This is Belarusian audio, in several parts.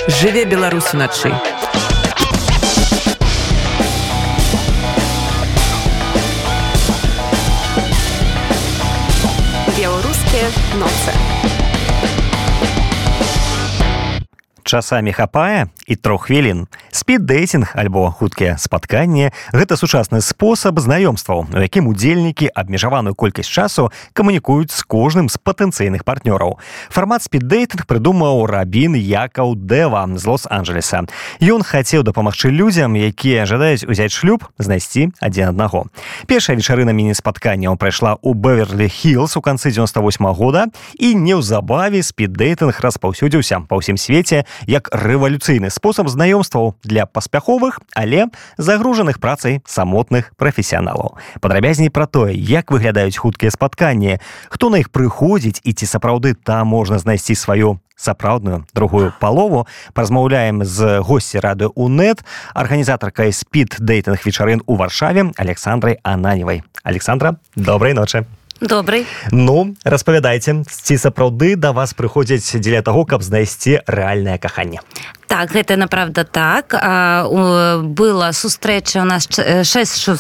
Жыве Беларусь уначы. Беларускія ноцы. Часамі хапае і 3 хвілін. Спід-дэйтинг альбо хуткія спатканні – гэта сучасны спосаб знаёмстваў, у якім удзельнікі абмежаваную колькасць часу камунікуюць з кожным з патэнцыйных партнёраў. Фармат спід-дэйтинг прыдумаў Рабін Якаў Дэва з Лос-Анджелеса. Ён хацеў дапамагчы людзям, якія жадаюць узяць шлюб, знайсці адзін аднаго. Першая вечарына міні-спатканняў прайшла ў Бэверлі-Хілз у канцы 98 года, і неўзабаве спід-дэйтинг распаўсюдзіўся па ўсім свеце як рэвалюцыйны спосаб знаёмстваў для паспяховых, але загружаных працай самотных прафесіяналаў. Падрабязней пра тое, як выглядаюць хуткія спатканні, хто на іх прыходзіць і ці сапраўды там можна знайсці сваю сапраўдную другую палову, паразмаўляем з госці радыё УНэТ, арганізатаркай спід-дэйтинг вечарын у Варшаве Александрай Ананевай. Александра, добрай ночы. Добрый. Ну, распавядайце, ці сапраўды да вас прыходзяць дзеля таго, каб знайсці рэальнае каханне? Так, гэта направда так. Была сустрэча, у нас 6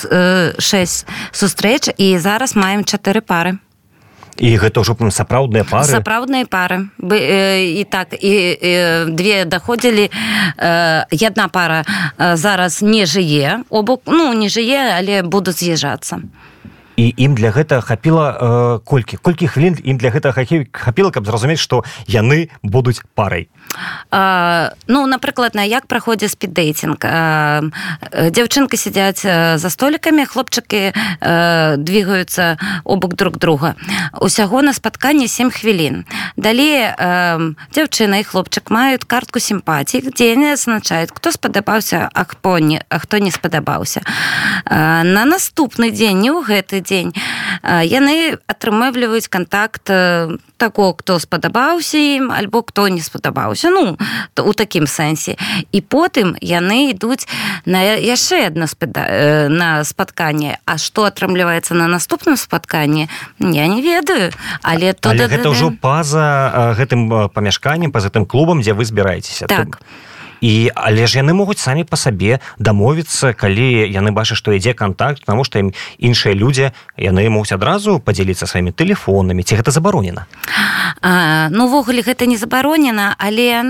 сустрэч, і зараз маем 4 пары. І гэта ўжо сапраўдныя пары? Сапраўдныя пары. І так, і 2 даходзілі. Одна пара зараз не жые, не жые, але будуць з'язджацца. І ім для гэтага хапіла колькі хвілін ім для гэтага хапіла, каб зразумець, што яны будуць парай? Напрыклад, як праходзіць спід-дэйтинг. Дзяўчынкі сядзяць за столікамі, хлопчыкі двигаюцца обок друг друга. Усяго на спатканне 7 хвілін. Далей дзяўчына і хлопчык маюць картку сімпатій, дзе яны азначаюць, хто спадабаўся, а хто не спадабаўся. На наступны дзень, не ў гэты дзень, яны атрымліваюць кантакт таго, хто спадабаўся ім, альбо хто не спадабаўся. У такім сэнсе. І потым яны ідуць на яшчэ адно спатканне. А што атрымліваецца на наступным спатканні, я не ведаю. Але гэта ўжо па-за гэтым памяшканнем, па-за гэтым клубам, дзе вы збіраецеся. Так. Але ж яны могуць самі па сабе дамовіцца, калі яны бачаць, што ідзе кантакт, таму што ім іншыя людзі, яны могуць адразу падзяліцца сваімі тэлефонамі. Ці гэта забаронена? Увогуле гэта не забаронена, але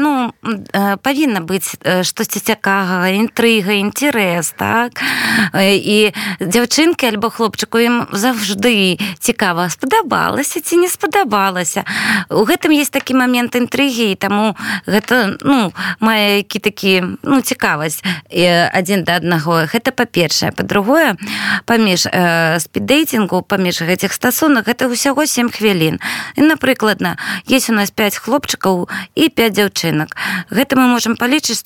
павінна быць штосьці цікавага, інтрыга, інтарэс, так? І дзяўчынкі альбо хлопчыку ім заўжды цікава, спадабалася ці не спадабалася. У гэтым ёсць такі момент інтрыгі, і таму гэта, мае такі цікавасць адзін да аднаго. Гэта па-першае. Па-другое, паміж спід-дэйтингу, паміж гэтых стасунак, гэта ўсяго 7 хвілін. І, напрыклад, есть у нас 5 хлопчыкаў і 5 дзяўчынак. Гэта мы можам палічыць,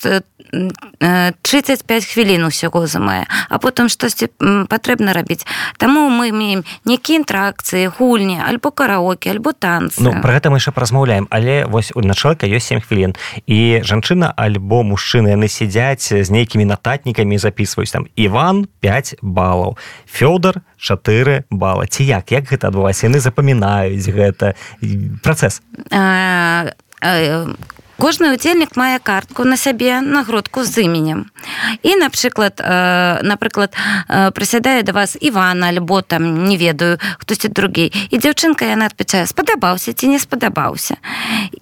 35 хвілін усяго займае, а потым штосьці патрэбна рабіць. Таму мы маем нейкія інтэракцыі, гульні, альбо караоке, альбо танцы. Пра гэта мы яшчэ паразмаўляем, але вось на чалавека ёсць 7 хвілін. І жанчына альбо мужчыны, яны сядзяць з нейкімі нататнікамі і запісваюць там Іван 5 балаў, Фёдор 4 бала. Ці як гэта адбываецца? Яны запамінаюць гэта працэс. Кожны удзельнік мае картку на сябе, нагрудку з іменем. І, напрыклад, прысядае да вас Іван, альбо там, не ведаю, хтосьці другі. І дзяўчынка, яна адпачае, спадабаўся ці не спадабаўся.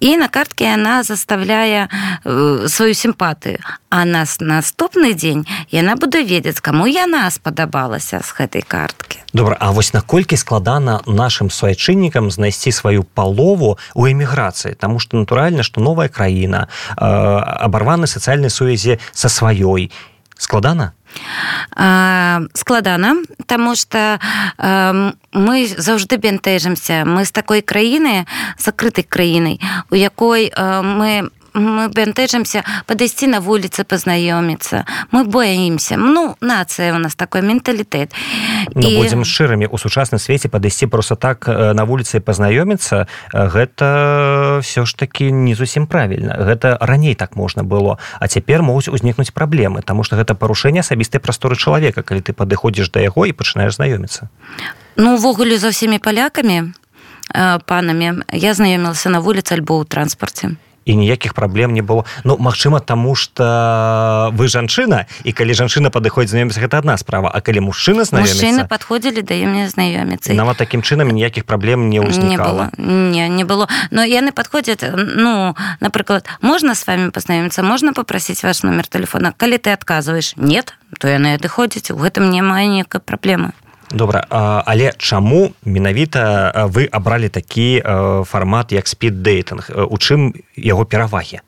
І на картке яна заставляе сваю сімпатыю. А на наступны дзень яна будзе ведаць, каму яна спадабалася з гэтай карткі. Добра, а вось наколькі складана нашым суайчыннікам знайсці сваю палову у эміграцыі? Таму што натуральна, што новая краіна, абарваны сацыяльнай сувязі са сваёй. Складана? Складана, таму што мы заўжды бянтэжымся. Мы з такой краіны, закрытай краінай, у якой мы бянтэжымся падысці на вуліцы, пазнаёміцца. Мы боімся. Нацыя у нас такой менталітэт. Будзем шчырымі, у сучасным свеце падысці проста так на вуліцы пазнаёміцца, гэта ўсё ж такі не зусім правільна. Гэта раней так можна было, а цяпер могуць узнікнуць праблемы, таму што гэта парушэнне асабістай прасторы чалавека, калі ты падыходзіш да яго і пачынаеш знаёміцца. Увогуле за ўсімі палякамі, панамі, я знаёмілася на вуліцы альбо ў транспарце. і ніякіх праблем не было. Ну, магчыма, таму што вы жанчына, і калі жанчына падыходзіць знаёміцца, гэта адна справа, а калі мужчына знаёміцца... Мужчыны падходзілі да мне знаёміцца. Нават такім чынам ніякіх праблем не ўзнікала. Не было. Но яны падходзяць, ну, напрыклад, можна з вами пазнаёміцца, можна попросіць ваш номер телефона. Калі ты адказваеш «нет», то яны адыходзяць, у гэтым няма ніякай праблемы. Добра, але чаму менавіта вы абралі такі фармат, як спід-дейтинг? У чым яго перавагі?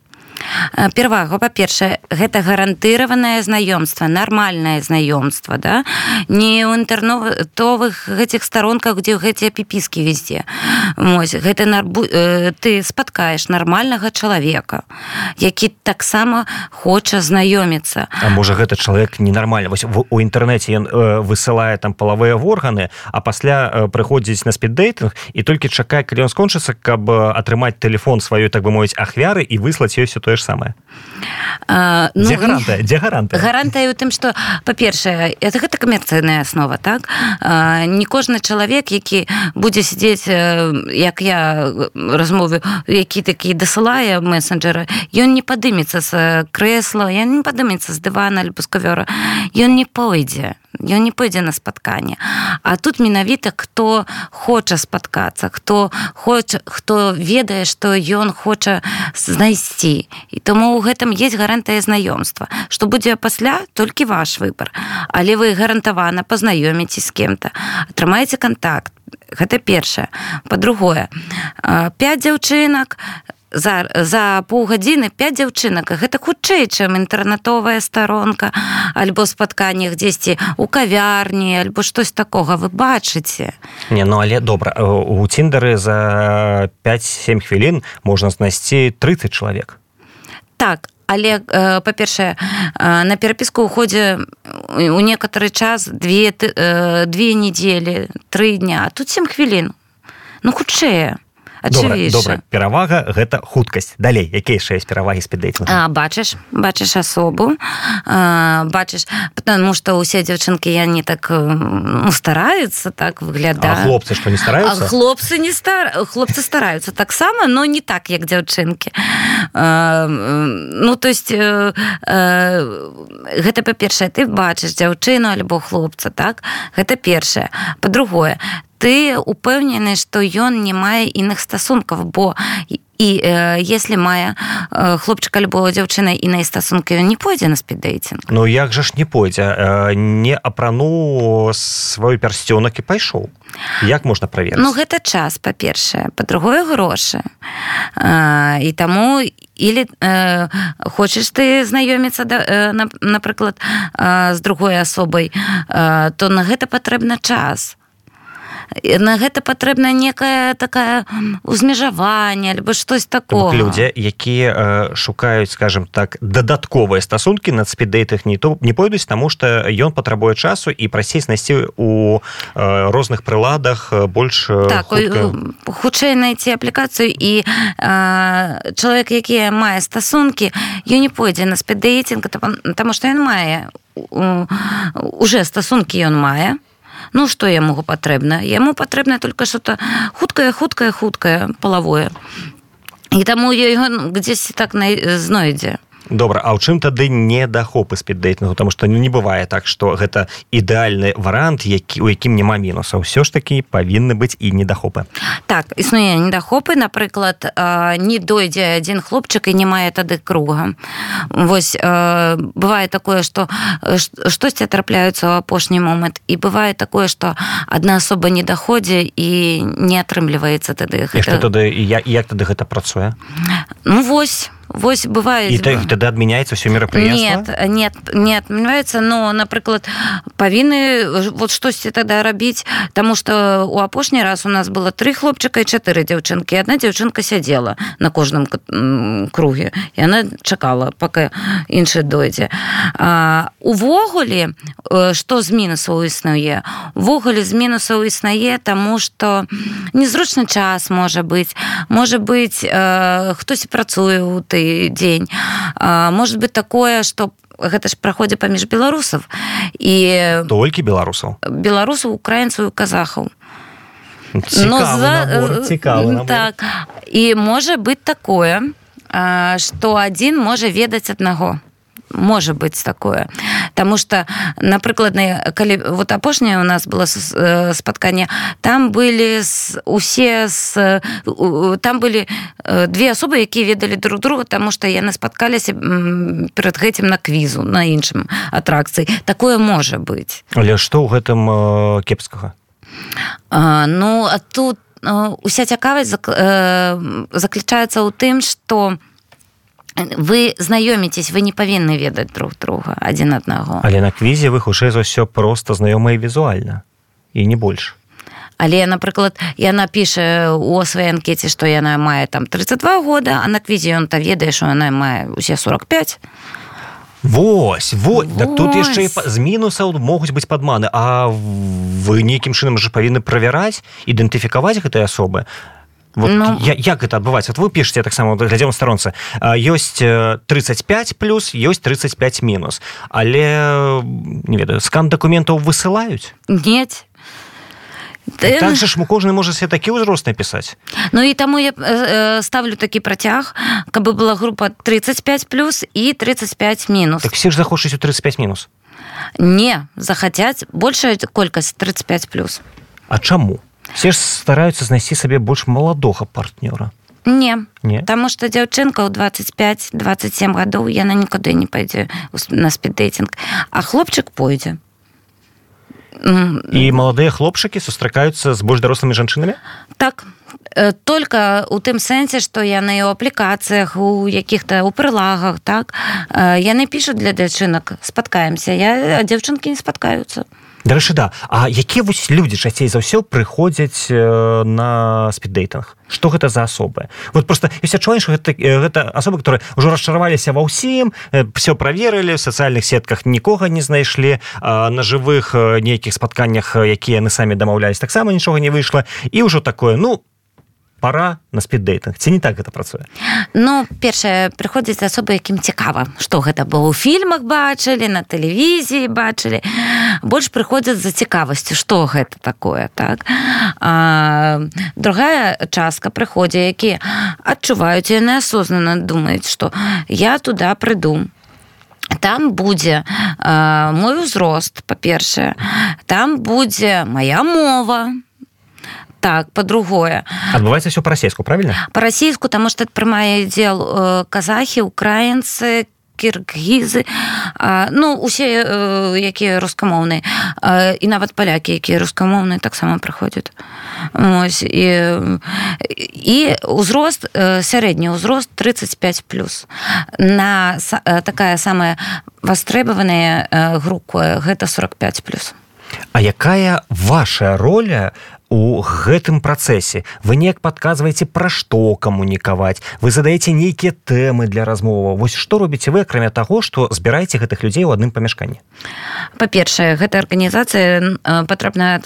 Перавага, па-першае, гэта гарантыраванае знаёмства, нармальнае знаёмства, да? Не ў інтэрнетовых гэтых старонках, дзе гэтыя піпіскі везде. Гэта ты спаткаеш нармальнага чалавека, які таксама хоча знаёміцца. А можа, гэта чалавек ненармальны? Вось у інтэрнэце ён высылае там палавыя органы, а пасля прыходзіць на спід-дейтинг і толькі чакае, калі ён скончыцца, каб атрымаць тэлефон сваёй, так бы мовіць, ахвяры і выслаць ёй тое ж самае. Дзе гарантыя? Гарантыя ў тым, што, па-першае, гэта камерцыйная аснова, так? Не кожны чалавек, які будзе сидзець, як я размовы, які такі дасылае месенджера, ён не падымецца з крэсла, ён не падымецца з дывана альбо з кавёра, ён не пойдзе на спатканне. А тут менавіта, хто хоча спаткацца, хто ведае, што ён хоча знайсці. І тому ў гэтым есть гарантыя знаёмства. Што будзе пасля, толькі ваш выбар. Але вы гарантавана пазнаёміцесь з кем-то, атрымаеце контакт. Гэта першае. Па-другое, 5 дзяўчынак, за паўгадзіны 5 дзяўчынак, гэта хутчэй, чым інтэрнетовая старонка, альбо спатканне дзесьці у кавярні, альбо штось такога, вы бачыце. Не, ну але добра, у Тіндары за 5-7 хвілін можна знайсці 30 чалавек. Так, але, па-першае, на перапіску ўходзе у некаторы час 2 недзелі, 3 дня, а тут 7 хвілін. Ну, хутчэй. Добра, перавага – гэта хуткасць. Далей, якія яшчэ ёсць перавагі спід-дейтингу? Бачыш асобу, бачыш, потому што ўсе дзяўчынкі, яны так стараюцца, так выглядаюць. А хлопцы што, не стараюцца? Хлопцы стараюцца таксама, но не так, як дзяўчынкі. Ну, то есть, гэта па-першае, ты бачыш дзяўчыну альбо хлопца, так? Гэта першае. Па-другое, ты упэўнены, што ён не мае іных стасункаў, бо если мае хлопчык альбо дзяўчына іныя стасункі, ён не пойдзе на спід-дейтинг. Ну як жа ж не пойдзе? Не апрануў свой пярсцёнак і пайшоў. Як можна праверыць? Ну гэта час, па-першае. Па-другое, грошы. І таму или хочаш ты знаёміцца, напрыклад, з другой асобай, то на гэта патрэбна час. На гэта патрэбна некае такае узмежаванне альбо штось такого. Людзі, якія шукаюць, скажем так, дадатковыя стасункі на спід-дейтинг не пойдуць, таму што ён патрабуе часу і прасцей знайсці у розных прыладах больш хутка. Хутчэй знайсці аплікацыю, і чалавек, які мае стасункі, ён не пойдзе на спід-дейтинг, таму што ён мае уже стасункі, ён мае. Ну, што яму патрэбна? Яму патрэбна толькі што-то хуткае, палавое. І таму ён дзесьці так знойдзе. Добра, а ў чым тады недахопы спід-дейтингу? Таму што не бывае так, што гэта ідэальны варыянт, у якім няма мінусаў. Усё ж такі павінны быць і недахопы. Так, існуе недахопы. Напрыклад, не дойдзе адзін хлопчык і не мае тады круга. Вось, бывае такое, што штосьці трапляюцца ў апошні момант, і бывае такое, што адна асоба не даходзе і не атрымліваецца тады. І што тады, як тады гэта працуе? Ну, вось бывает. И тогда отменяется все мероприятие? Нет, не отменяется, но, напрыклад, павінны вот штосьці тогда рабіць, таму што у апошні раз у нас было 3 хлопчыка і 4 дзяўчынкі. Одна дзяўчынка сядзела на кожным круге, і она чакала, пока іншы дойдзе. Увогуле, што з мінусаў існуе? Увогуле з мінусаў існуе, таму што незручны час можа быць, хтось працуе ў той дзень. Может быть такое, што гэта ж праходзіць паміж беларусаў. Толькі беларусаў? Беларусаў, украінцаў і казахаў. Цікавы набор. Так. І можа быць такое, што адзін можа ведаць аднаго. Можа быць такое. Таму што, напрыклад, калі вот апошняе у нас было спатканне, там былі там былі две асобы, якія ведалі друг друга, таму што яны спаткаліся перад гэтым на квізу, на іншым атракцыі. Такое можа быць. Але што ў гэтым кепскага? Ну, а тут уся цікавасць заключаецца ў тым, што вы знаёміцесь, вы не павінны ведаць друг друга адзін аднаго. Але на квізе вы хутчэй за ўсё проста знаёмыя візуальна і не больш. Але, напрыклад, яна піша у сваёй анкеце, што яна мае там 32 года, а на квізе ён-то ведае, што яна мае усе 45. Вось. Так тут яшчэ з мінусаў могуць быць падманы. А вы нейкім чынам жа павінны правяраць, ідэнтыфікаваць гэтай асобы. Вот як гэта адбываецца? Вот вы пішаце таксама, глядзім у старонцы, ёсць 35 плюс, ёсць 35 мінус. Але, не ведаю, скан дакументаў высылаюць? Нет. Так же ж кожны можа себе такі ўзрост напісаць. Ну і таму я ставлю такі працяг, каб была група 35 плюс і 35 мінус. Так все ж захочуць у 35 мінус? Не, захацяць большая колькасць 35 плюс. А чаму? Все ж стараюцца знайсці сабе больш маладога партнёра. Не, таму што дзяўчынка ў 25-27 гадоў, яна нікуды не пойдзе на спіддэйтинг, а хлопчык пойдзе. І маладыя хлопчыкі сустракаюцца з больш дарослымі жанчынамі? Так, только у тым сэнсе, што яны ў аплікацыях, у якіх-то у прылагах, так, яны пішуць для дзяўчынак, спаткаемся, а дзяўчынкі не спаткаюцца. Дарэчы, да. А якія вось людзі часцей за ўсё прыходзяць на спіддэйтинг? Што гэта за асобы? Вот просто ёсць адчуванне, што гэта асобы, которые ўжо расчараваліся ва ўсім, все праверылі, в сацыяльных сетках нікога не знайшлі, на жывых нейкіх спатканнях, якія яны самі дамаўлялись, таксама нічога не выйшла, і ўжо такое, пора на спіддэйтинг. Ці не так гэта працуе? Ну, першае, прыходзяць асобы, якім цікава, што гэта было ў фільмах бачылі, на тэлевізіі бачылі. Больш прыходзяць за цікавасцю, што гэта такое, так? Другая частка прыходзяць, якія адчуваюць, яны асознанна думаюць, што я туды прыйду. Там будзе мой узрост, па-першае. Там будзе моя мова. Так, по-другое. Адбываецца ўсё па-расейску, правильно? Па-расейску, таму што прымае удзел казахі, украінцы, кіргізы, усе, якія рускамоўныя, і нават палякі, якія рускамоўныя, таксама прыходзяць. І ўзрост, сярэдні ўзрост 35+. Такая самая вастребаваная група, гэта 45+. А якая ваша роля у гэтым працэсе? Вы неяк падказваеце, пра што камунікаваць? Вы задаеце нейкія тэмы для размоваў? Вось што робіце вы, акрамя таго, што збіраеце гэтых людзей у адным памяшканні? Па-першае, гэта арганізацыя патрэбна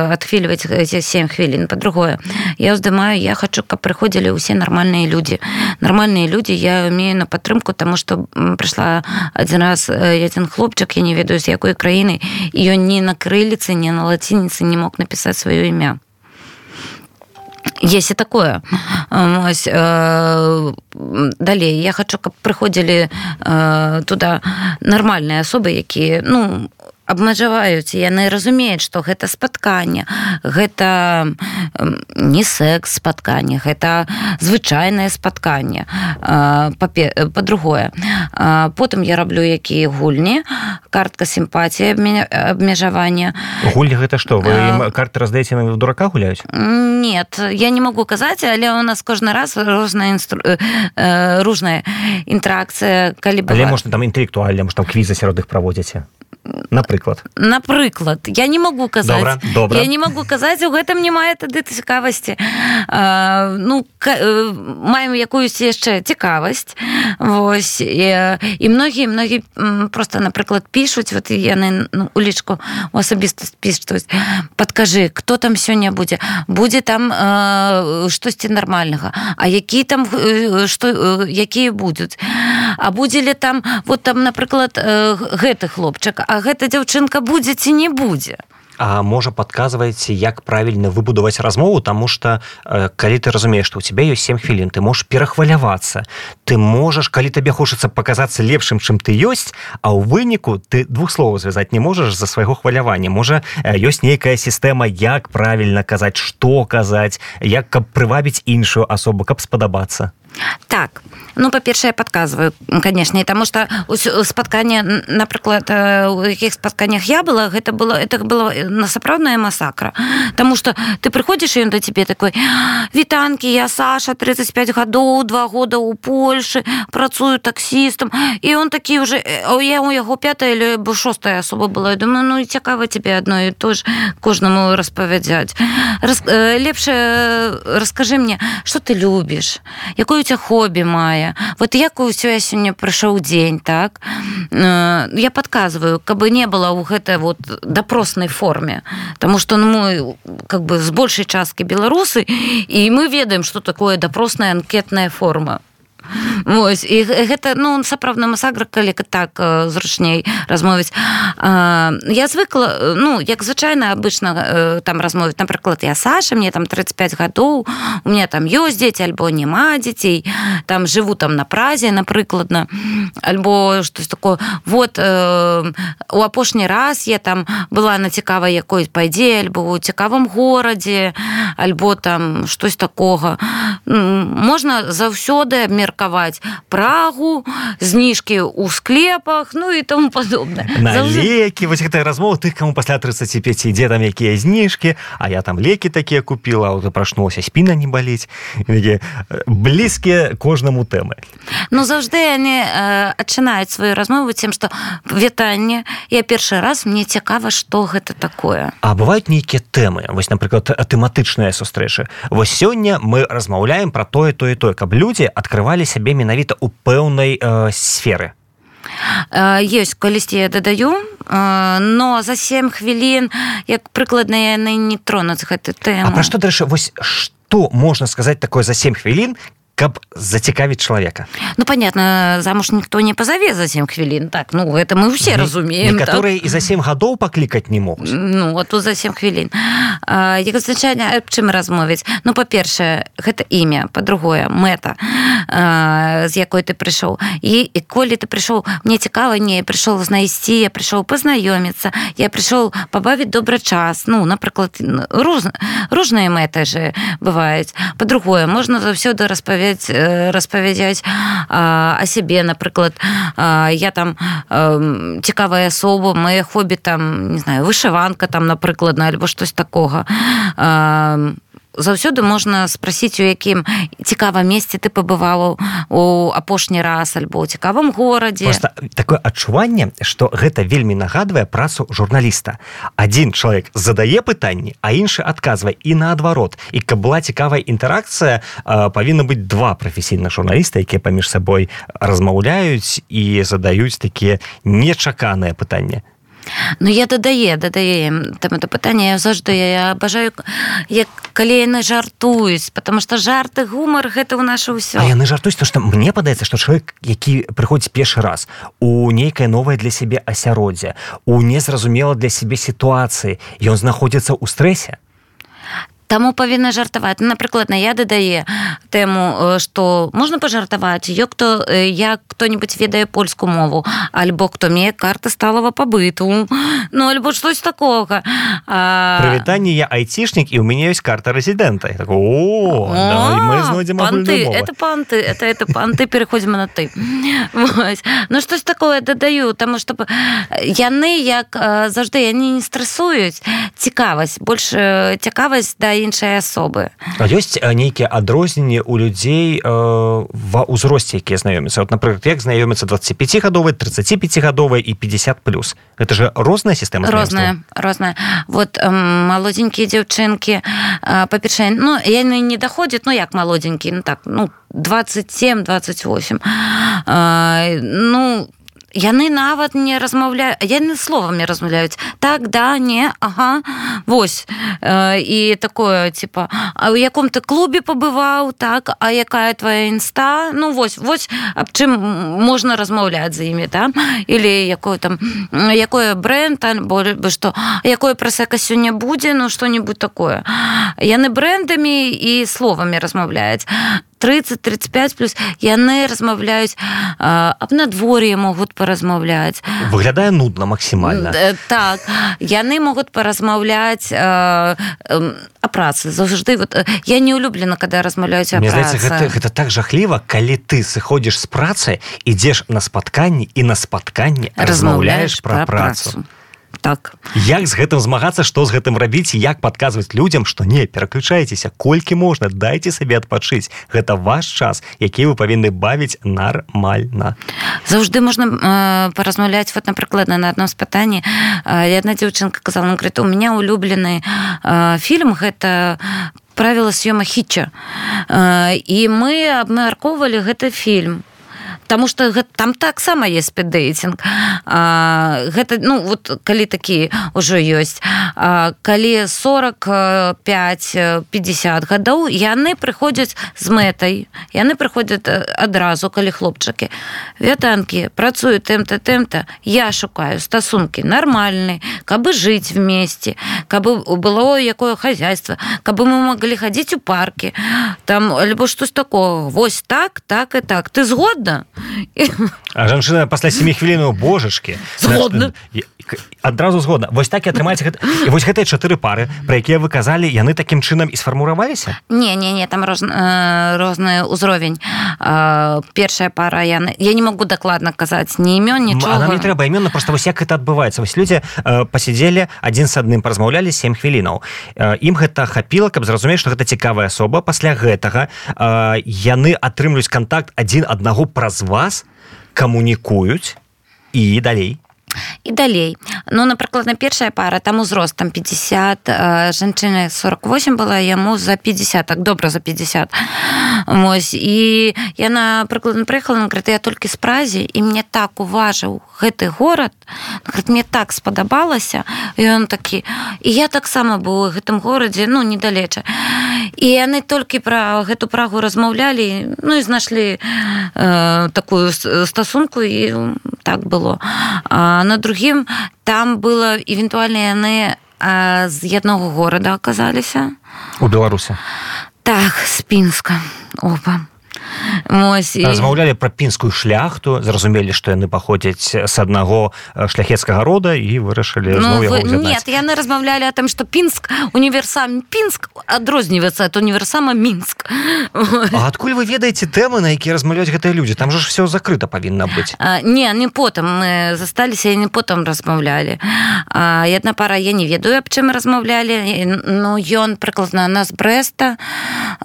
адхвільваць эти 7 хвілін. Па-другое, я ўздымаю, я хочу, каб прыходзілі ўсе нармальныя людзі. Нармальныя людзі я имею на падтрымку, таму што прыйшла адзін раз адзін хлопчык, я не ведаю, з якой краіны, і ён ні на крыліцы, ні на лацініцы не мог напісаць сваё імя. Есть и такое. Далей, я хочу, каб прыходзілі туда нармальныя асобы, якія, абмежаваюць, яны разумеюць, што гэта спатканне, гэта не секс спатканне, гэта звычайнае спатканне. Па-другое, потым я раблю якія гульні, картка сімпатіі, абмежавання. Гульні гэта што? Вы ім карты раздаеце, на дурака гуляюць? Нет, я не могу казаць, але у нас кожны раз розная інтэракцыя, калі бывае. Але можна там інтэлектуальна, можна там квізы сярод іх праводзіце. Напрыклад, я не могу казаць. Добра. Я не могу казаць, у гэтым не мае тады цікавасці. Маем якуюсь яшчэ цікавасць. Вось. І многія просто, напрыклад, пішуць, вот яны у лічку у асабістасць пішуць. Падкажы, хто там сёння будзе? Будзе там штосьці нармальнага. А які там, якія будуць? А будзе ли там, вот там, напрыклад, гэты хлопчык, а гэта дзяўчынка будзе ці не будзе? А можа падказваеце, як правільна выбудаваць размову, таму што калі ты разумееш, што ў цябе ёсць 7 хвілін, ты можаш перахвалявацца, ты можаш, калі табе хочацца паказацца лепшым, чым ты ёсць, а ў выніку ты двух словаў звязаць не можаш за свайго хвалявання. Можа, ёсць нейкая сістэма, як правільна казаць, што казаць, як каб прывабіць іншую асобу, каб спадабацца. Так, ну, па-першае, я падказваю, канешне, таму што спатканне, напрыклад, у якіх спатканнях я была, гэта было насапраўдная масакра. Таму што ты прыходзіш, і ён да цябе такой: «Вітанкі, я Саша, 35 гадоў, 2 года ў Польшы, працую таксістам». І он такі ўжо, я у яго 5-я або 6-я асоба была. Я думаю, ну, і цікава цябе адно і то ж кожнаму распавядаць. Лепш раскажы мне, што ты любіш, якое у тебя хобі мае, вот як у тебя сёння прыйшоў дзень, так? Я падказваю, каб не было ў гэтай вот допроснай форме, таму што мы как бы з большай часткі беларусы, і мы ведаем, што такое допросная анкетная форма. Вось, і гэта, ну, сапраўдна масакра, калі так зручней размовіць. Я звыкла, ну, як звычайна абычна там размовіць, напрыклад, я Саша, мне там 35 гадоў, у меня там ёсць дзеці, альбо няма дзяцей, там жыву там на Празе, напрыкладна, альбо штось такое. Вот, у апошні раз я там была на цікавай якой падзеі, альбо ў цікавым горадзе, альбо там штось такога. Можна заўсёды абмеркаваць Прагу, зніжкі ў склепах, ну і тому падобнае. На лекі, вось гэтая размова тых, каму пасля 35 ідзе там якія зніжкі, а я там лекі такія купіла, а вот прачнулася, спіна не баліць. Блізкія кожнаму тэмы. Ну, заўжды яны адчынаюць сваю размову тым, што вітанне, я першы раз, мне цікава, што гэта такое. А бываюць нейкія тэмы, вось, напрыклад, тэматычныя сустрэчы. Вось сёння мы размаўляем пра тое, каб людзі адкрывалі сябе менавіта ў пэўнай сферы. Ёсць, калісьці я дадаю, но за 7 хвілін, як прыкладна, яны не тронуць гэту тэму. А пра што, дарэчы, вось што можна сказаць такое за 7 хвілін, каб зацікавіць чалавека? Ну, понятно, замуж никто не позове за 7 хвілін, так, ну, это мы все разумеем. Некаторыя і за 7 гадоў паклікаць не могуць. Ну, а тут за 7 хвілін. Як звычайна, аб чым размовіць? Ну, па-першае, гэта імя, па-другое, мэта, з якой ты прыйшоў. І коли ты прыйшоў, мне цікава, не, я прыйшоў знайсці, я прыйшоў пазнаёміцца, я прыйшоў пабавіць добры час, ну, напрыклад, розныя мэты же бываюць. Па-другое, можна заўсёды распавядаць о сябе, напрыклад, я там цікавая асоба, мае хобі там, не знаю, вышыванка там, напрыклад, альбо штось такога. Заўсёды можна спрасіць, у якім цікавым месцы ты пабываў у апошні раз, альбо ў цікавым горадзе. Просто такое адчуванне, што гэта вельмі нагадвае працу журналіста. Адзін чалавек задае пытанні, а іншы адказвае, і наадварот. І каб была цікавая інтэракцыя, павінна быць 2 прафесійных журналіста, якія паміж сабой размаўляюць і задаюць такія нечаканыя пытанні. Ну, я дадаю там это пытанне, я заўжды абажаю, як калі яны жартуюць, потому что жарт і гумар гэта ў наша ўсё. А яны жартуюць, то што мне падаецца, што чалавек, які прыходзіць першы раз у нейкае новае для сябе асяроддзе, у незразумела для сябе сітуацыі, ён знаходзіцца ў стрэсе. Таму павінна жартаваць. Напрыклад, я дадае тэму, што можна пажартаваць, як хто-нибудь ведае польскую мову, альбо хто мее карты сталага пабыту, ну, альбо штось такога. Прывітанне, я айцішнік, і ў мяне ёсць карта рэзідэнта. Я такой, мы знойдзем агульную мову. Это панты, переходзім на ты. Ну, штось такое дадаю, таму што яны, як заўжды, яны не стрэсуюць. Цікавасць, больш цікавасць да іншай асобы. А ёсць нейкія адрозненні ў людзей ва ўзросце, якія знаёмяцца? Вот, напрыклад, як знаёмяцца 25-гадовыя, 35-гадовыя і 50+. Гэта же розная сістэма знаёмства? Розная. Вот малодзенькія дзяўчынкі, па-першае, ну, яны не даходзяць, ну, як малодзенькія, ну, так, ну, 27-28. Ну, яны нават не размаўляюць, яны словамі размаўляюць. Так, да, не, ага, вось. І такое, типа, а ў яком ты клубе пабываў, так, а якая твоя інста? Ну, вось аб чым можна размаўляць за імі, да? Или якое бренд, альбо што, якое прасека сёння будзе, ну, што-нибудь такое. Яны брэндамі і словамі размаўляюць. 30-35 плюс яны размаўляюць аб надвор'і, могуць паразмаўляць. Выглядае нудна максімальна. Так, яны могуць паразмаўляць о працы. Заўжды я не улюблена, калі размаўляюць о працы. Мне здаецца, гэта так жахліва, калі ты сыходзіш з працы, ідзеш на спатканні і на спатканні размаўляеш пра працу. Так. Як з гэтым змагацца, што з гэтым рабіць, як падказваць людзям, што не, пераключайцеся, колькі можна, дайце сабе адпачыць. Гэта ваш час, які вы павінны бавіць нармальна. Заўжды можна паразмаўляць, вот, напрыклад, на адном спытанні. Адна дзяўчынка казала, она говорит, у меня улюблены фільм, гэта «Правила съема Хитча». І мы абмяркоўвалі гэты фільм. Потому что там таксама есть спіддейтинг. Гэта, ну, вот, калі такі ўжо ёсць. Калі 45-50 гадоў, яны прыходзяць з мэтай. Яны прыходзяць адразу, калі хлопчыкі. Вятанкі, працую тэмта. Я шукаю стасункі нармальныя, каб жыць вместе, каб было якое хозяйство, каб мы могли ходить у паркі, там, альбо штось такого. Вось так і так. Ты згодна? А жанчына пасля 7 хвілінаў, божачкі. Згодна. Адразу згодна. Вось так і атрымаецца гэта. І вось гэтыя 4 пары, пра якія вы казалі, яны такім чынам і сфарміраваліся? Не, там розны ўзровень. Першая пара, я не могу дакладна казаць ні імён, нічога. А нам не трэба імённа, проста вось як гэта адбываецца. Вось людзі пасядзелі, адзін з адным паразмаўлялі 7 хвілінаў. Ім гэта хапіла, каб зразумець, што гэта цікавая асоба. Пасля гэтага яны атрымліваюць кантакт адзін аднаго праз вас, камунікуюць і далей. І далей. Ну, напрыклад, на першая пара, там узрост, там 50, жанчына 48 была, яму за 50, так добра за 50. Вось. І яна, прыкладна, прыехала, она говорит, я толькі з Празе, і мне так уважыў гэты горад, говорит, мне так спадабалася, і он такі, і я таксама быў у гэтым горадзе, ну, недалеча. І яны толькі пра гэту Прагу размаўлялі, ну, і знайшлі такую стасунку, і так было. А на другім там было евентуальна яны з аднаго горада аказаліся. У Беларусі? Так, з Пінска. Опа. Размаўлялі пра пінскую шляхту, зразумелі, што яны паходзяць з аднаго шляхецкага рода і вырашылі зноў яго ўзяднаць. Нет, яны размаўлялі о том, што Пінск, універсам Пінск адрозніваецца ад універсама Мінск. А адкуль вы ведаеце тэмы, на якія размаўляюць гэтыя людзі? Там жа ж все закрыта павінна быць. Не потым. Мы засталіся і не потым размаўлялі. Адна пара, я не ведаю, аб чым размаўлялі. Ну, ён прыкладна на з Брэста,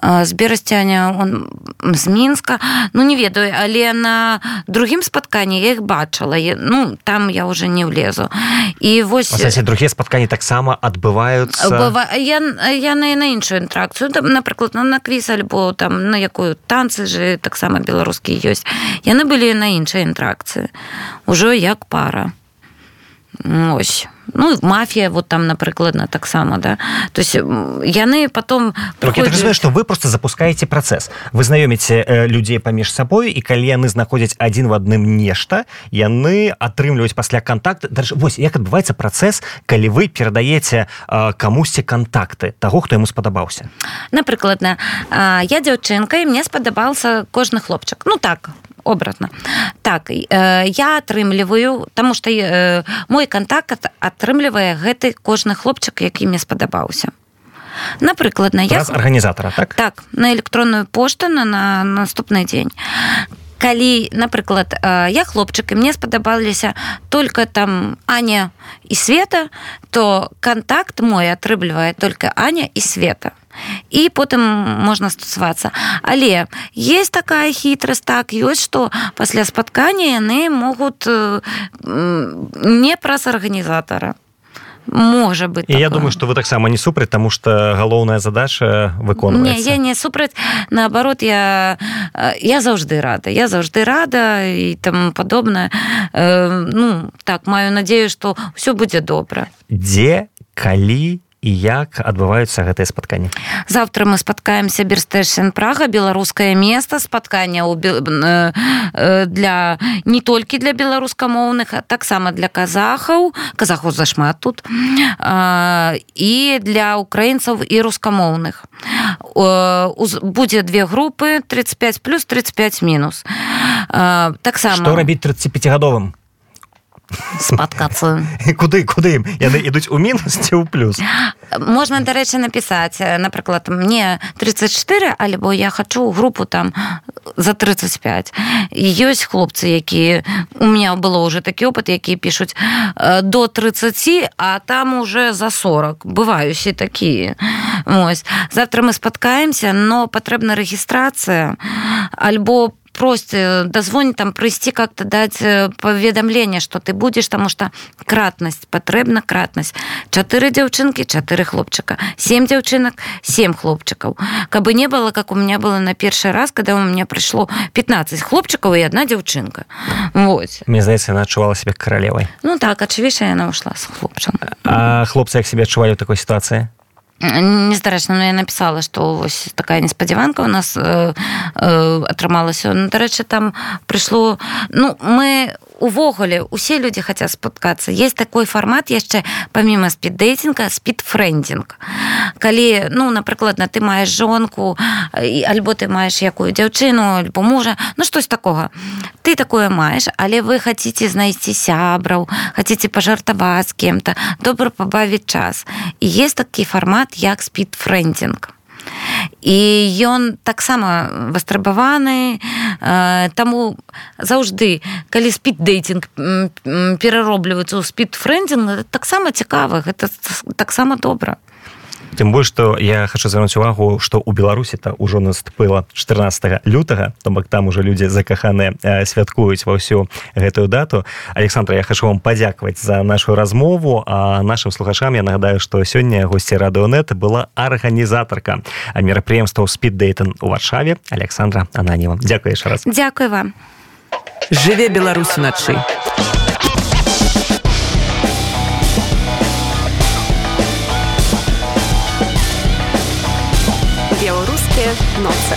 з Берасцяня, он з Мінска, ну не ведаю, але на другім спатканні я іх бачыла, ну там я уже не влезу. І вось... Другія спатканні таксама адбываюцца? Яны на іншую інтэракцыю, напрыклад, на квіз, альбо там на якую танцы же таксама беларускія ёсць. Яны былі на іншай інтэракцыі, ужо як пара. Ось. Ну, мафія, вот там, напрыкладна, таксама, да. То есть яны потом... Так, я так разумею, што вы просто запускаеце працэс. Вы знаёміце людзей паміж сабой, і калі яны знаходзяць адзін в адным нешта, яны атрымліваюць пасля кантакт. Вось, як адбываецца працэс, калі вы перадаеце камусьці кантакты таго, хто яму спадабаўся? Напрыкладна, я дзяўчынка, і мне спадабаўся кожны хлопчык. Ну, так, обратно. Так, я атрымліваю, таму што мой кантакт атрымлівае гэты кожны хлопчык, які мне спадабаўся. Напрыкладна, я... Праз арганізатара, так? Так, на электронную пошту на наступны дзень. Калі, напрыклад, я хлопчык, і мне спадабаліся только там Аня і Света, то кантакт мой атрымлівае только Аня і Света. І потым можна стасавацца. Але есть такая хітрасць, так, ёсць, што пасля спаткання яны могуць не праз арганізатара. Можа быць. І я думаю, што вы таксама не супраць, таму што галоўная задача выконваецца. Не, я не супраць. Наоборот, я заўжды рада і таму падобнае. Ну, так, маю надзею, што ўсё будзе добра. Дзе, калі і як адбываюцца гэтыя спатканні? Завтра мы спаткаемся Берстэшен Прага, беларускае место, спаткання для не толькі для беларускамоўных, а таксама для казахаў зашмат тут, і для украінцаў і рускамоўных. Будзе две групы, 35 плюс, 35 мінус. Таксама. Што рабіць 35-гадовым? Спаткацца. Куды ім? Яны ідуць у мінус ці ў плюс? Можна, дарэчы, напісаць, напрыклад, мне 34, альбо я хачу групу там за 35. І ёсць хлопцы, якія... У меня было уже такі опыт, якія пішуць до 30, а там уже за 40. Бываюць і такія. Ось. Завтра мы спаткаемся, но патрэбна рэгістрацыя, альбо просто дозвонить, там, прийти как-то, дать поведомление, что ты будешь, потому что кратность, потребна кратность. 4 девчонки, 4 хлопчика. 7 девчонок, 7 хлопчиков. Кабы не было, как у меня было на первый раз, когда у меня пришло 15 хлопчиков и 1 девчонка. Вот. Мне здається, она отчувала себя королевой. Ну так, очевидно, она ушла с хлопцем. А хлопцы як себя отчували в такой ситуации? Нездаречна, но я написала, что ось такая несподіванка у нас атрымалася. Ну, дарэчы, там прыйшло... Ну, мы увогуле, усе людзі хацяць спаткацца. Есть такой фармат яшчэ, паміма спід-дэйтинга, спід-фрэндинг. Калі, ну, напрыклад, ты маеш жонку, альбо ты маеш якую дзяўчыну, альбо мужа, ну, штось такога. Ты такое маеш, але вы хаціце знайсці сябраў, хаціце пажартаваць з кем-то, добра пабавіць час. І есть такі фармат, як спід-фрэндинг. І ён таксама вострабаваны, таму заўжды, калі спід-дэйтинг пераробліваецца ў спід-фрэндинг, таксама цікава, гэта таксама добра. Тым больш, што я хочу звярнуць увагу, што ў Беларусі-то ўжо наступила 14 лютага, то бок там уже людзі закаханыя святкуюць ва ўсю гэтую дату. Александра, я хочу вам падзякаваць за нашу размову, а нашим слухачам я нагадаю, што сёння госці Радыёнет была арганізатарка мерапрыемстваў спід-дэйтинг у Варшаве Александра Ананьева. Дзякуй яшчэ раз. Дзякуй вам. Жыве Беларусь уначы. Белорусские ноцы.